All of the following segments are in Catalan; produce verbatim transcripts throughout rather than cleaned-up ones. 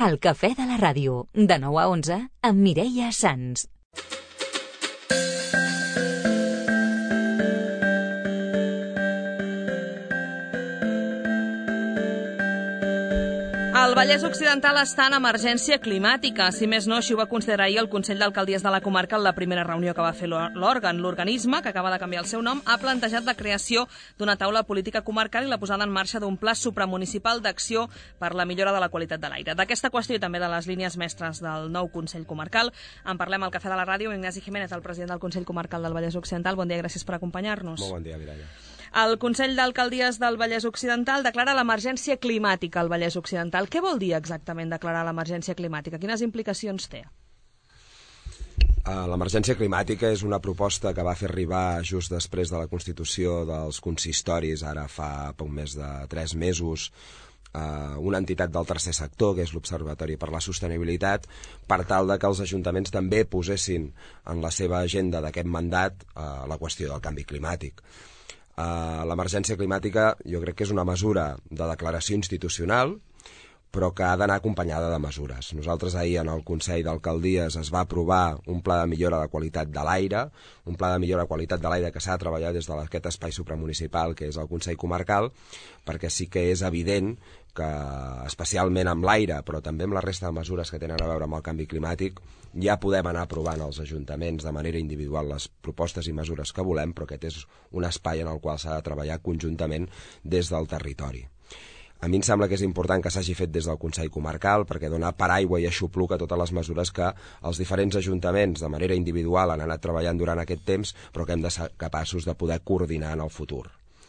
El cafè de la ràdio, de nou a onze, amb Mireia Sans. El Vallès Occidental està en emergència climàtica. Si més no, així ho va considerar ahir el Consell d'Alcaldies de la comarca en la primera reunió que va fer l'òrgan. L'organisme, que acaba de canviar el seu nom, ha plantejat la creació d'una taula política comarcal i la posada en marxa d'un pla supramunicipal d'acció per la millora de la qualitat de l'aire. D'aquesta qüestió i també de les línies mestres del nou Consell Comarcal en parlem al Cafè de la Ràdio. Ignasi Jiménez, el president del Consell Comarcal del Vallès Occidental. Bon dia, gràcies per acompanyar-nos. Molt bon dia, Mireia. El Consell d'Alcaldies del Vallès Occidental declara l'emergència climàtica al Vallès Occidental. Què vol dir exactament declarar l'emergència climàtica? Quines implicacions té? L'emergència climàtica és una proposta que va fer arribar just després de la constitució dels consistoris, ara fa poc més de tres mesos, una entitat del tercer sector, que és l'Observatori per la Sostenibilitat, per tal de que els ajuntaments també posessin en la seva agenda d'aquest mandat la qüestió del canvi climàtic. L'emergència climàtica jo crec que és una mesura de declaració institucional, però que ha d'anar acompanyada de mesures. Nosaltres ahir en el Consell d'Alcaldies es va aprovar un pla de millora de qualitat de l'aire, un pla de millora de qualitat de l'aire que s'ha de treballar des d'aquest espai supramunicipal que és el Consell Comarcal, perquè sí que és evident que especialment amb l'aire, però també amb la resta de mesures que tenen a veure amb el canvi climàtic, ja podem anar aprovant als ajuntaments de manera individual les propostes i mesures que volem, però aquest és un espai en el qual s'ha de treballar conjuntament des del territori. A mi em sembla que és important que s'hagi fet des del Consell Comarcal perquè dona paraigua i aixopluc a totes les mesures que els diferents ajuntaments de manera individual han anat treballant durant aquest temps, però que hem de ser capaços de poder coordinar en el futur.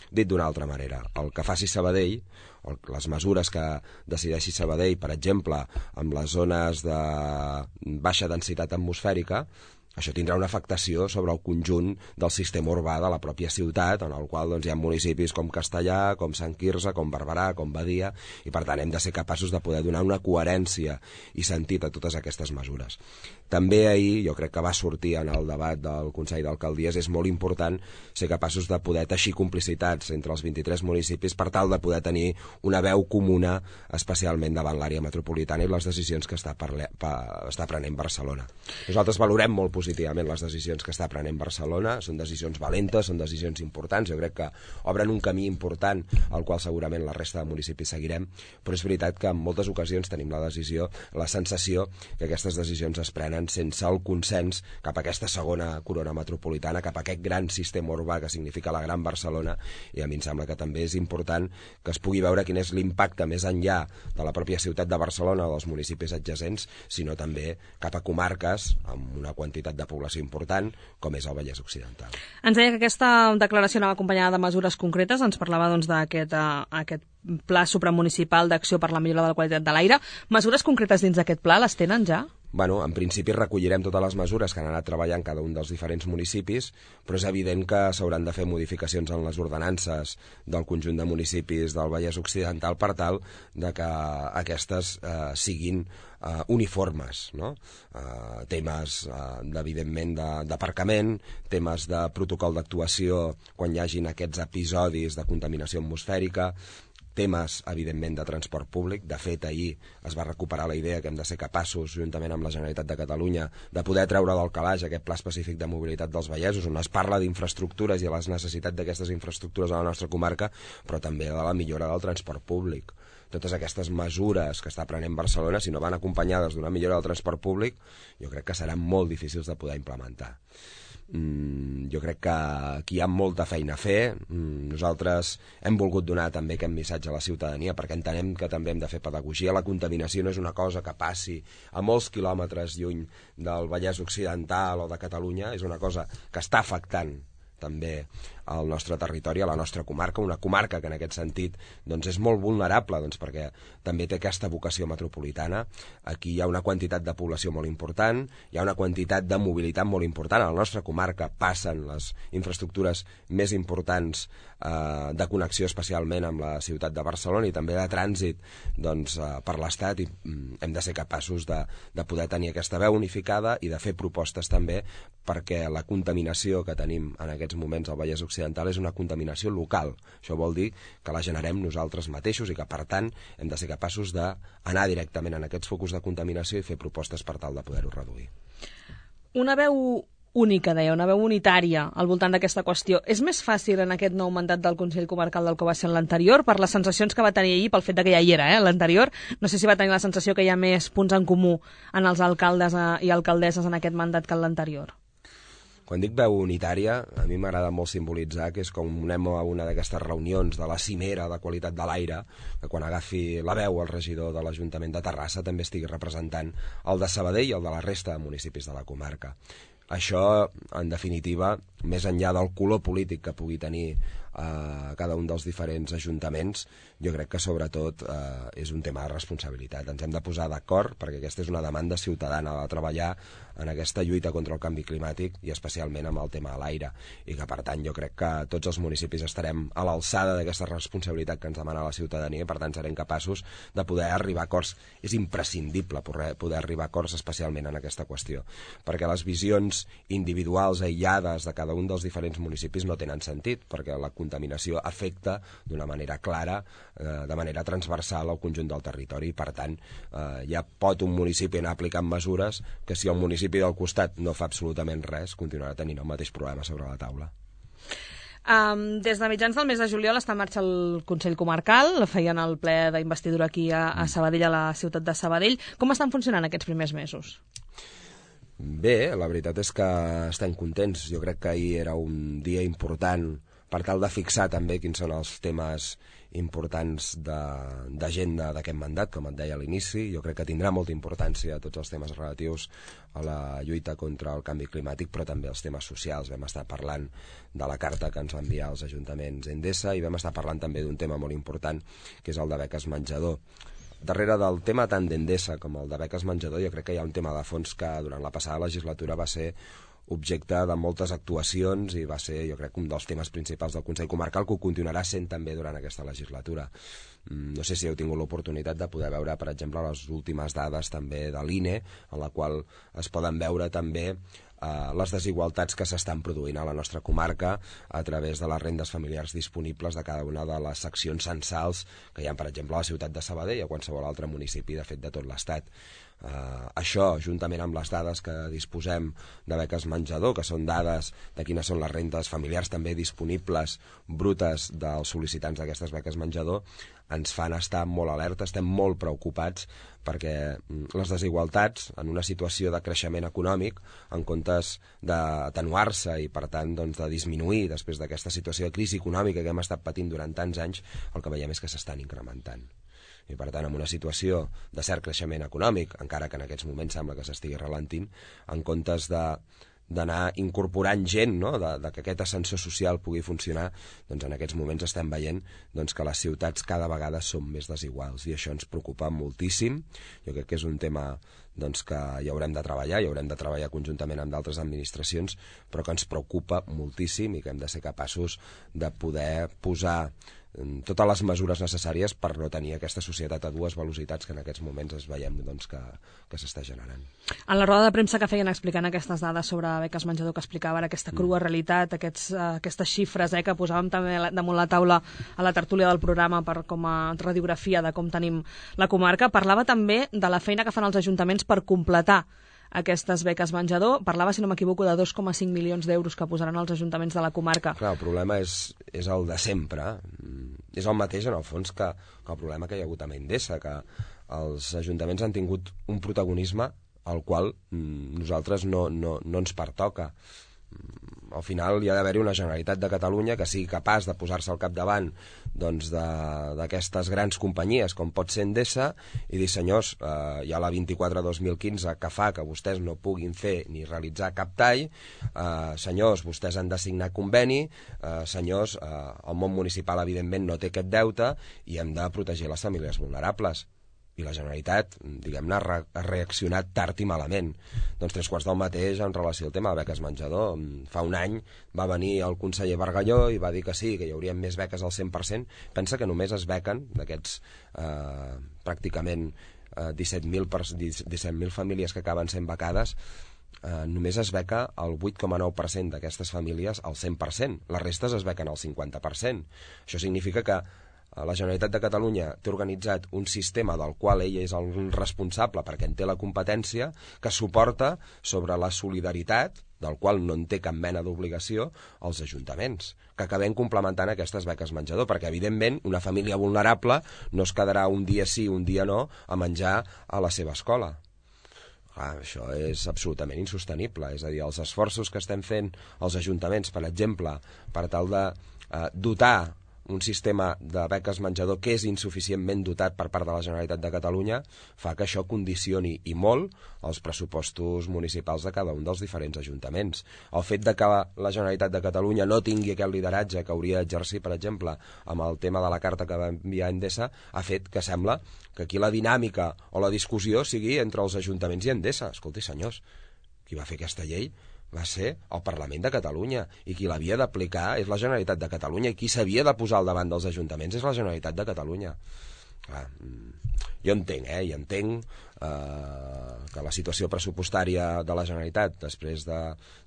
Dit d'una altra manera, el que faci Sabadell, les mesures que decideixi Sabadell, per exemple, amb les zones de baixa densitat atmosfèrica, això tindrà una afectació sobre el conjunt del sistema urbà de la pròpia ciutat, en el qual doncs, hi ha municipis com Castellar, com Sant Quirze, com Barberà, com Badia, i per tant hem de ser capaços de poder donar una coherència i sentit a totes aquestes mesures. També ahir, jo crec que va sortir en el debat del Consell d'Alcaldies, és molt important ser capaços de poder teixir complicitats entre els vint-i-tres municipis per tal de poder tenir una veu comuna, especialment davant l'àrea metropolitana i les decisions que està, parle... està prenent Barcelona. Nosaltres valorem molt positivament les decisions que està prenent Barcelona, són decisions valentes, són decisions importants, jo crec que obren un camí important al qual segurament la resta de municipis seguirem, però és veritat que en moltes ocasions tenim la decisió, la sensació que aquestes decisions es prenen sense el consens cap a aquesta segona corona metropolitana, cap a aquest gran sistema urbà que significa la Gran Barcelona, i a mi em sembla que també és important que es pugui veure quin és l'impacte més enllà de la pròpia ciutat de Barcelona o dels municipis adjacents, sinó també cap a comarques amb una quantitat de població important, com és el Vallès Occidental. Ens deia que aquesta declaració anava acompanyada de mesures concretes, ens parlava doncs, d'aquest uh, aquest pla supramunicipal d'acció per la millora de la qualitat de l'aire. Mesures concretes dins d'aquest pla les tenen ja? Bueno, en principi recollirem totes les mesures que han anat treballant cada un dels diferents municipis, però és evident que s'hauran de fer modificacions en les ordenances del conjunt de municipis del Vallès Occidental per tal de que aquestes eh, siguin eh, uniformes, no? Eh, temes, eh, evidentment, d'aparcament, temes de protocol d'actuació quan hi hagin aquests episodis de contaminació atmosfèrica, temes, evidentment, de transport públic. De fet, ahir es va recuperar la idea que hem de ser capaços, juntament amb la Generalitat de Catalunya, de poder treure del calaix aquest pla específic de mobilitat dels vallesos, on es parla d'infraestructures i de les necessitats d'aquestes infraestructures a la nostra comarca, però també de la millora del transport públic. Totes aquestes mesures que està prenent Barcelona, si no van acompanyades d'una millora del transport públic, jo crec que seran molt difícils de poder implementar. Mm, jo crec que aquí hi ha molta feina a fer. Mm, nosaltres hem volgut donar també aquest missatge a la ciutadania perquè entenem que també hem de fer pedagogia. La contaminació no és una cosa que passi a molts quilòmetres lluny del Vallès Occidental o de Catalunya, és una cosa que està afectant també al nostre territori, a la nostra comarca, una comarca que en aquest sentit doncs, és molt vulnerable doncs, perquè també té aquesta vocació metropolitana. Aquí hi ha una quantitat de població molt important, hi ha una quantitat de mobilitat molt important. A la nostra comarca passen les infraestructures més importants eh, de connexió especialment amb la ciutat de Barcelona i també de trànsit doncs, eh, per l'Estat, i mm, hem de ser capaços de, de poder tenir aquesta veu unificada i de fer propostes també perquè la contaminació que tenim en aquests moments al Vallès Occidental occidental és una contaminació local. Això vol dir que la generem nosaltres mateixos i que, per tant, hem de ser capaços d'anar directament en aquests focus de contaminació i fer propostes per tal de poder-ho reduir. Una veu única, deia, una veu unitària al voltant d'aquesta qüestió. És més fàcil en aquest nou mandat del Consell Comarcal del que va ser en l'anterior, per les sensacions que va tenir ahir, pel fet de que ja hi era, eh, l'anterior? No sé si va tenir la sensació que hi ha més punts en comú en els alcaldes i alcaldesses en aquest mandat que en l'anterior. Quan dic veu unitària, a mi m'agrada molt simbolitzar que és com anem a una d'aquestes reunions de la cimera de qualitat de l'aire, que quan agafi la veu el regidor de l'Ajuntament de Terrassa també estigui representant el de Sabadell i el de la resta de municipis de la comarca. Això, en definitiva, més enllà del color polític que pugui tenir eh, cada un dels diferents ajuntaments, jo crec que sobretot eh, és un tema de responsabilitat. Ens hem de posar d'acord perquè aquesta és una demanda ciutadana de treballar en aquesta lluita contra el canvi climàtic i especialment amb el tema de l'aire, i que per tant jo crec que tots els municipis estarem a l'alçada d'aquesta responsabilitat que ens demana la ciutadania i per tant serem capaços de poder arribar a acords. És imprescindible poder arribar a acords especialment en aquesta qüestió, perquè les visions individuals aïllades de cada un dels diferents municipis no tenen sentit, perquè la contaminació afecta d'una manera clara, eh, de manera transversal al conjunt del territori, i per tant eh, ja pot un municipi anar aplicant mesures que si el municipi del costat no fa absolutament res, continuarà tenint el mateix problema sobre la taula. Um, des de mitjans del mes de juliol està en marxa el Consell Comarcal, feien el ple d'investidura aquí a, a Sabadell, a la ciutat de Sabadell. Com estan funcionant aquests primers mesos? Bé, la veritat és que estem contents. Jo crec que ahir era un dia important per tal de fixar també quins són els temes importants d'agenda d'aquest mandat, com et deia a l'inici. Jo crec que tindrà molta importància tots els temes relatius a la lluita contra el canvi climàtic, però també els temes socials. Vam estar parlant de la carta que ens va enviar als ajuntaments Endesa i vam estar parlant també d'un tema molt important, que és el de beques menjador. Darrere del tema tant d'Endesa com el de beques menjador jo crec que hi ha un tema de fons que durant la passada legislatura va ser objecte de moltes actuacions i va ser, jo crec, un dels temes principals del Consell Comarcal, que ho continuarà sent també durant aquesta legislatura. No sé si heu tingut l'oportunitat de poder veure, per exemple, les últimes dades també de l'I N E, en la qual es poden veure també eh, les desigualtats que s'estan produint a la nostra comarca a través de les rendes familiars disponibles de cada una de les seccions censals que hi ha, per exemple, a la ciutat de Sabadell o a qualsevol altre municipi, de fet, de tot l'Estat. Uh, això, juntament amb les dades que disposem de beques menjador, que són dades de quines són les rendes familiars també disponibles brutes dels sol·licitants d'aquestes beques menjador, ens fan estar molt alerta, estem molt preocupats perquè les desigualtats en una situació de creixement econòmic, en comptes d'atenuar-se i per tant doncs, de disminuir després d'aquesta situació de crisi econòmica que hem estat patint durant tants anys, el que veiem és que s'estan incrementant. I per tant, en una situació de cert creixement econòmic, encara que en aquests moments sembla que s'estigui ralentint, en comptes de d'anar incorporant gent, no? de, de que aquest ascensor social pugui funcionar, doncs en aquests moments estem veient doncs, que les ciutats cada vegada són més desiguals i això ens preocupa moltíssim. Jo crec que és un tema doncs, que hi haurem de treballar, hi haurem de treballar conjuntament amb d'altres administracions, però que ens preocupa moltíssim i que hem de ser capaços de poder posar totes les mesures necessàries per no tenir aquesta societat a dues velocitats que en aquests moments es veiem doncs, que, que s'està generant. En la roda de premsa que feien explicant aquestes dades sobre beques menjador que explicava ara, aquesta crua mm. realitat, aquests, uh, aquestes xifres eh, que posàvem també damunt la taula a la tertúlia del programa per com a radiografia de com tenim la comarca, parlava també de la feina que fan els ajuntaments per completar aquestes beques menjador. Parlava, si no m'equivoco, de dos coma cinc milions d'euros que posaran els ajuntaments de la comarca. Clar, el problema és, és el de sempre. És el mateix, en el fons, que, que el problema que hi ha hagut amb Endesa, que els ajuntaments han tingut un protagonisme al qual nosaltres no, no, no ens pertoca. Al final hi ha d'haver-hi una Generalitat de Catalunya que sigui capaç de posar-se al capdavant doncs, d'aquestes grans companyies com pot ser Endesa i dir, senyors, eh, hi ha la vint-i-quatre dos mil quinze que fa que vostès no puguin fer ni realitzar cap tall, eh, senyors, vostès han de signar conveni, eh, senyors, eh, el món municipal evidentment no té aquest deute i hem de protegir les famílies vulnerables. I la Generalitat, diguem-ne, ha reaccionat tard i malament. Doncs tres quarts del mateix en relació al tema de beques menjador. Fa un any va venir el conseller Bargalló i va dir que sí, que hi haurien més beques al cent per cent. Pensa que només es bequen d'aquests eh, pràcticament eh, disset mil famílies que acaben sent becades, eh, només es beca el vuit coma nou per cent d'aquestes famílies al cent per cent. Les restes es bequen al cinquanta per cent. Això significa que la Generalitat de Catalunya té organitzat un sistema del qual ell és el responsable perquè en té la competència, que suporta sobre la solidaritat, del qual no en té cap mena d'obligació, als ajuntaments, que acabem complementant aquestes beques menjador, perquè evidentment una família vulnerable no es quedarà un dia sí, un dia no, a menjar a la seva escola. Ah, això és absolutament insostenible, és a dir, els esforços que estem fent els ajuntaments, per exemple, per tal de eh, dotar un sistema de beques menjador que és insuficientment dotat per part de la Generalitat de Catalunya, fa que això condicioni i molt els pressupostos municipals de cada un dels diferents ajuntaments. El fet de que la Generalitat de Catalunya no tingui aquest lideratge que hauria d'exercir, per exemple, amb el tema de la carta que va enviar Endesa, ha fet que sembla que aquí la dinàmica o la discussió sigui entre els ajuntaments i Endesa. Escolti, senyors, qui va fer aquesta llei va ser el Parlament de Catalunya, i qui l'havia d'aplicar és la Generalitat de Catalunya, i qui s'havia de posar al davant dels ajuntaments és la Generalitat de Catalunya. Clar, jo entenc, eh, i entenc eh, que la situació pressupostària de la Generalitat després de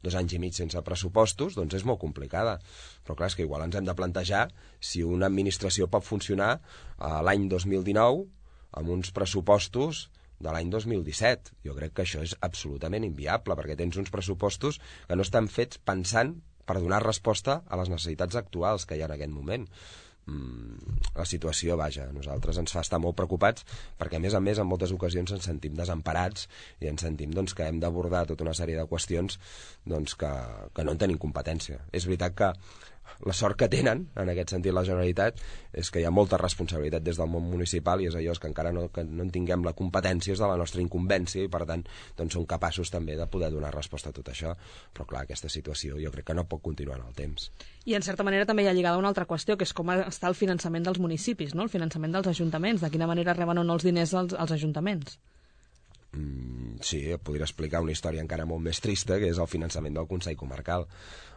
dos anys i mig sense pressupostos doncs és molt complicada, però clar, és que igual ens hem de plantejar si una administració pot funcionar eh, l'any dos mil dinou amb uns pressupostos de l'any dos mil disset. Jo crec que això és absolutament inviable, perquè tens uns pressupostos que no estan fets pensant per donar resposta a les necessitats actuals que hi ha en aquest moment. Mm, la situació, vaja, a nosaltres ens fa estar molt preocupats, perquè a més a més en moltes ocasions ens sentim desemparats i ens sentim doncs, que hem d'abordar tota una sèrie de qüestions doncs, que, que no en tenim competència. És veritat que la sort que tenen, en aquest sentit, la Generalitat, és que hi ha molta responsabilitat des del món municipal, i és allò que encara no, que no en tinguem la competència, és de la nostra incumbència, i per tant doncs, som capaços també de poder donar resposta a tot això. Però clar, aquesta situació jo crec que no pot continuar en el temps. I en certa manera també hi ha lligada una altra qüestió, que és com està el finançament dels municipis, no? El finançament dels ajuntaments, de quina manera reben o no els diners als, als ajuntaments. Mm, sí, podria explicar una història encara molt més trista, que és el finançament del Consell Comarcal.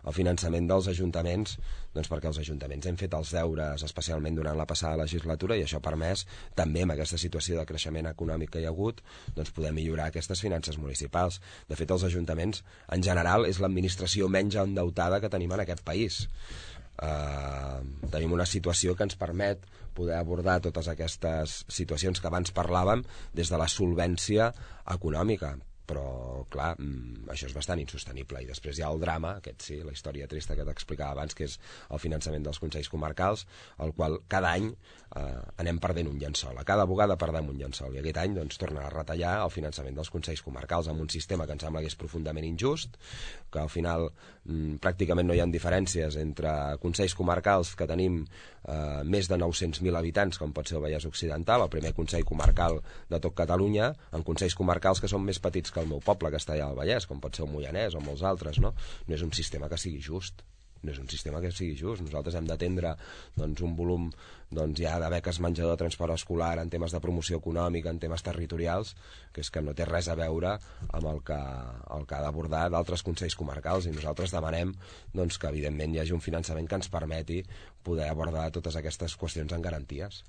El finançament dels ajuntaments, doncs perquè els ajuntaments hem fet els deures, especialment durant la passada legislatura, i això ha permès, també amb aquesta situació de creixement econòmic que hi ha hagut, doncs poder millorar aquestes finances municipals. De fet, els ajuntaments, en general, és l'administració menys endeutada que tenim en aquest país. Uh, tenim una situació que ens permet poder abordar totes aquestes situacions que abans parlàvem des de la solvència econòmica, però clar, això és bastant insostenible. I després hi ha el drama, aquest sí, la història trista que t'explicava abans, que és el finançament dels consells comarcals, el qual cada any eh, anem perdent un llençol, a cada vegada perdem un llençol, i aquest any doncs tornen a retallar el finançament dels consells comarcals amb un sistema que em sembla que és profundament injust, que al final mm, pràcticament no hi ha diferències entre consells comarcals que tenim eh, més de nou-cents mil habitants, com pot ser el Vallès Occidental, el primer consell comarcal de tot Catalunya, en consells comarcals que són més petits que el meu poble, que està allà al Vallès, com pot ser el Moianès o molts altres, no? No és un sistema que sigui just. No és un sistema que sigui just. Nosaltres hem d'atendre doncs, un volum doncs, ja de beques menjador, transport escolar, en temes de promoció econòmica, en temes territorials, que és que no té res a veure amb el que, el que ha d'abordar d'altres consells comarcals, i nosaltres demanem doncs, que evidentment hi hagi un finançament que ens permeti poder abordar totes aquestes qüestions en garanties.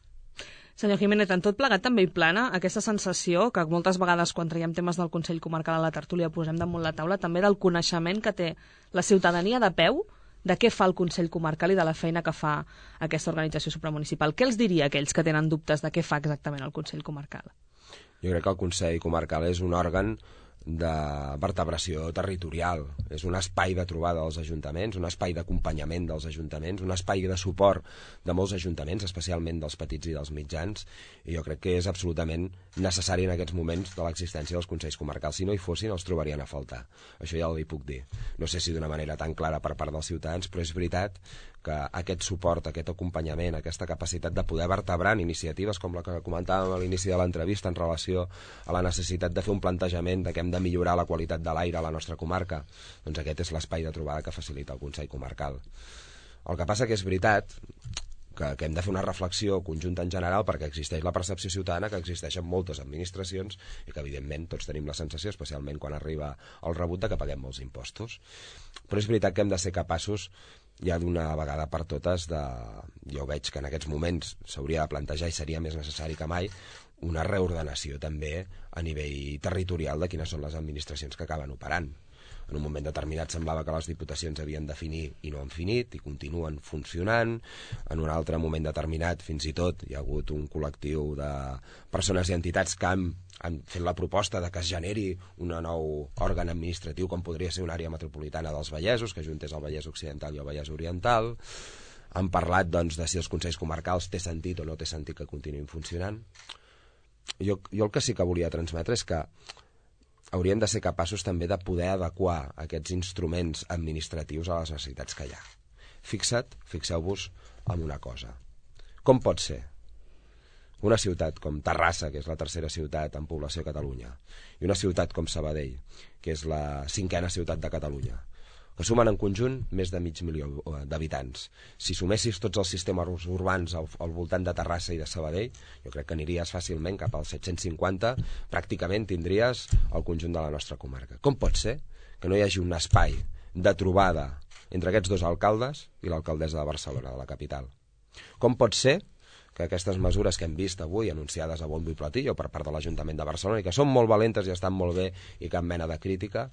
Senyor Jiménez, en tot plegat també hi plana aquesta sensació que moltes vegades quan traiem temes del Consell Comarcal a la tertúlia posem damunt la taula, també del coneixement que té la ciutadania de peu de què fa el Consell Comarcal i de la feina que fa aquesta organització supramunicipal. Què els diria a aquells que tenen dubtes de què fa exactament el Consell Comarcal? Jo crec que el Consell Comarcal és un òrgan de vertebració territorial, és un espai de trobada dels ajuntaments, un espai d'acompanyament dels ajuntaments, un espai de suport de molts ajuntaments, especialment dels petits i dels mitjans, i jo crec que és absolutament necessari en aquests moments de l'existència dels consells comarcals. Si no hi fossin, els trobarien a faltar. Això ja ho hi puc dir. No sé si d'una manera tan clara per part dels ciutadans, però és veritat que aquest suport, aquest acompanyament, aquesta capacitat de poder vertebrar en iniciatives com la que comentàvem a l'inici de l'entrevista en relació a la necessitat de fer un plantejament de que hem de millorar la qualitat de l'aire a la nostra comarca, doncs aquest és l'espai de trobada que facilita el Consell Comarcal. El que passa que és veritat que, que hem de fer una reflexió conjunta en general, perquè existeix la percepció ciutadana que existeixen moltes administracions i que evidentment tots tenim la sensació, especialment quan arriba el rebut, de que paguem molts impostos. Però és veritat que hem de ser capaços ja d'una vegada per totes de... Jo veig que en aquests moments s'hauria de plantejar, i seria més necessari que mai, una reordenació també a nivell territorial de quines són les administracions que acaben operant. En un moment determinat semblava que les diputacions havien de finir i no han finit i continuen funcionant. En un altre moment determinat, fins i tot, hi ha hagut un col·lectiu de persones i entitats que han, han fet la proposta de que es generi un nou òrgan administratiu com podria ser una àrea metropolitana dels Vallesos, que ajuntés el Vallès Occidental i el Vallès Oriental. Han parlat doncs, de si els consells comarcals té sentit o no té sentit que continuïn funcionant. Jo, jo el que sí que volia transmetre és que hauríem de ser capaços també de poder adequar aquests instruments administratius a les necessitats que hi ha. Fixa't, fixeu-vos en una cosa. Com pot ser una ciutat com Terrassa, que és la tercera ciutat en població a Catalunya, i una ciutat com Sabadell, que és la cinquena ciutat de Catalunya, que sumen en conjunt més de mig milió d'habitants. Si sumessis tots els sistemes urbans al, al voltant de Terrassa i de Sabadell, jo crec que aniries fàcilment cap als set-cents cinquanta, pràcticament tindries el conjunt de la nostra comarca. Com pot ser que no hi hagi un espai de trobada entre aquests dos alcaldes i l'alcaldessa de Barcelona, de la capital? Com pot ser que aquestes mesures que hem vist avui anunciades a bombo i platillo per part de l'Ajuntament de Barcelona i que són molt valentes i estan molt bé i cap mena de crítica,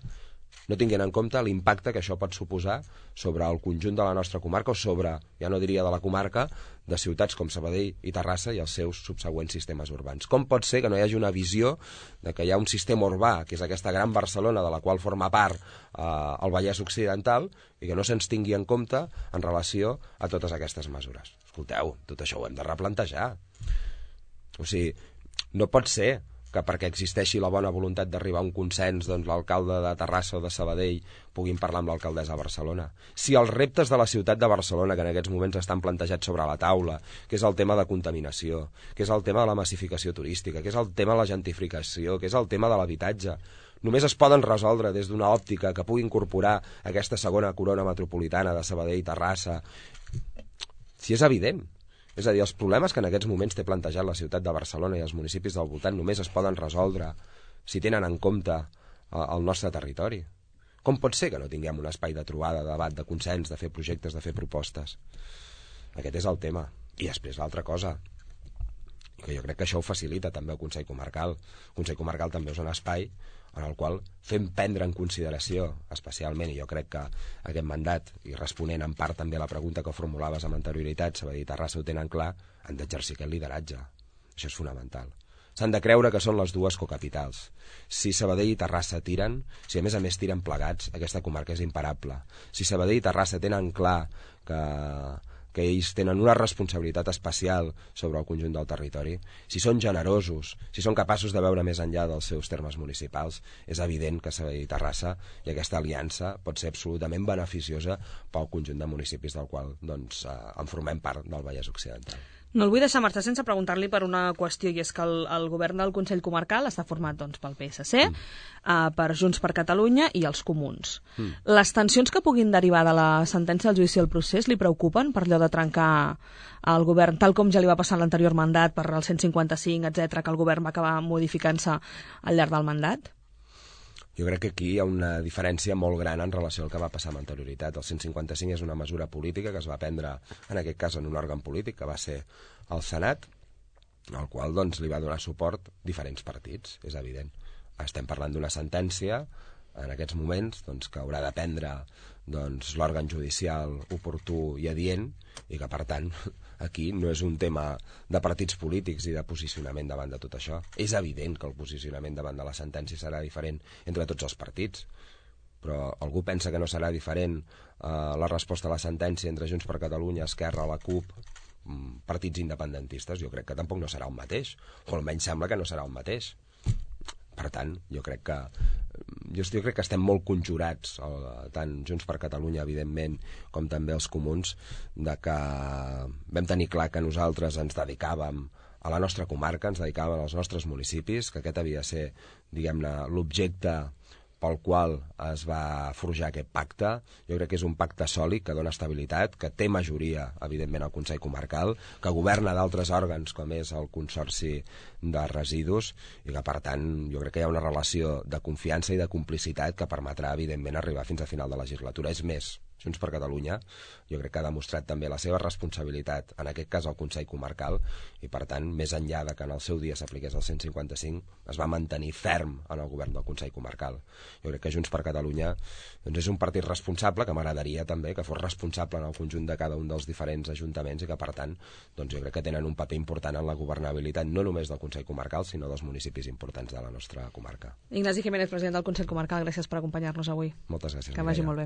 no tinguin en compte l'impacte que això pot suposar sobre el conjunt de la nostra comarca o sobre, ja no diria de la comarca, de ciutats com Sabadell i Terrassa i els seus subsegüents sistemes urbans? Com pot ser que no hi hagi una visió de que hi ha un sistema urbà, que és aquesta gran Barcelona de la qual forma part eh, el Vallès Occidental, i que no se'ns tingui en compte en relació a totes aquestes mesures? Escolteu, tot això ho hem de replantejar. O sigui, no pot ser que perquè existeixi la bona voluntat d'arribar a un consens, doncs l'alcalde de Terrassa o de Sabadell puguin parlar amb l'alcaldessa de Barcelona. Si els reptes de la ciutat de Barcelona, que en aquests moments estan plantejats sobre la taula, que és el tema de contaminació, que és el tema de la massificació turística, que és el tema de la gentrificació, que és el tema de l'habitatge, només es poden resoldre des d'una òptica que pugui incorporar aquesta segona corona metropolitana de Sabadell i Terrassa, si és evident. És a dir, els problemes que en aquests moments té plantejat la ciutat de Barcelona i els municipis del voltant només es poden resoldre si tenen en compte el nostre territori. Com pot ser que no tinguem un espai de trobada, de debat, de consens, de fer projectes, de fer propostes? Aquest és el tema. I després l'altra cosa, que jo crec que això ho facilita també el Consell Comarcal. El Consell Comarcal també és un espai en el qual fem prendre en consideració, especialment, i jo crec que aquest mandat, i responent en part també a la pregunta que formulaves amb anterioritat, Sabadell i Terrassa ho tenen clar, han d'exercir aquest lideratge. Això és fonamental. S'han de creure que són les dues cocapitals. Si Sabadell i Terrassa tiren, si a més a més tiren plegats, aquesta comarca és imparable. Si Sabadell i Terrassa tenen clar que... que ells tenen una responsabilitat especial sobre el conjunt del territori, si són generosos, si són capaços de veure més enllà dels seus termes municipals, és evident que Sabadell i Terrassa i aquesta aliança pot ser absolutament beneficiosa pel conjunt de municipis del qual doncs, eh, en formem part del Vallès Occidental. No el vull deixar marxar sense preguntar-li per una qüestió, i és que el, el govern del Consell Comarcal està format doncs, pel P S C, mm. uh, per Junts per Catalunya i els Comuns. Mm. Les tensions que puguin derivar de la sentència del judici del procés li preocupen per allò de trencar el govern, tal com ja li va passar en l'anterior mandat per el cent cinquanta-cinc, etcètera, que el govern va acabar modificant-se al llarg del mandat? Jo crec que aquí hi ha una diferència molt gran en relació al que va passar amb anterioritat. El cent cinquanta-cinc és una mesura política que es va prendre, en aquest cas, en un òrgan polític, que va ser el Senat, al qual doncs, li va donar suport diferents partits, és evident. Estem parlant d'una sentència, en aquests moments, doncs, que haurà de prendre doncs, l'òrgan judicial oportú i adient, i que, per tant, aquí no és un tema de partits polítics i de posicionament davant de tot això. És evident que el posicionament davant de la sentència serà diferent entre tots els partits, però algú pensa que no serà diferent eh, la resposta a la sentència entre Junts per Catalunya, Esquerra, la CUP, partits independentistes? Jo crec que tampoc no serà el mateix, o almenys sembla que no serà el mateix. Per tant, jo crec que jo, jo crec que estem molt conjurats, tant Junts per Catalunya, evidentment, com també els Comuns, de que vam tenir clar que nosaltres ens dedicàvem a la nostra comarca, ens dedicàvem als nostres municipis, que aquest havia de ser, diguem-ne, l'objecte pel qual es va forjar aquest pacte. Jo crec que és un pacte sòlid, que dona estabilitat, que té majoria, evidentment, al Consell Comarcal, que governa d'altres òrgans, com és el Consorci de Residus, i que, per tant, jo crec que hi ha una relació de confiança i de complicitat que permetrà, evidentment, arribar fins a final de legislatura. És més, Junts per Catalunya, jo crec que ha demostrat també la seva responsabilitat, en aquest cas al Consell Comarcal, i per tant, més enllà de que en el seu dia s'apliqués el cent cinquanta cinc, es va mantenir ferm en el govern del Consell Comarcal. Jo crec que Junts per Catalunya doncs, és un partit responsable, que m'agradaria també que fos responsable en el conjunt de cada un dels diferents ajuntaments i que, per tant, doncs, jo crec que tenen un paper important en la governabilitat, no només del Consell Comarcal, sinó dels municipis importants de la nostra comarca. Ignasi Jiménez, president del Consell Comarcal, gràcies per acompanyar-nos avui. Moltes gràcies. Que vagi molt bé.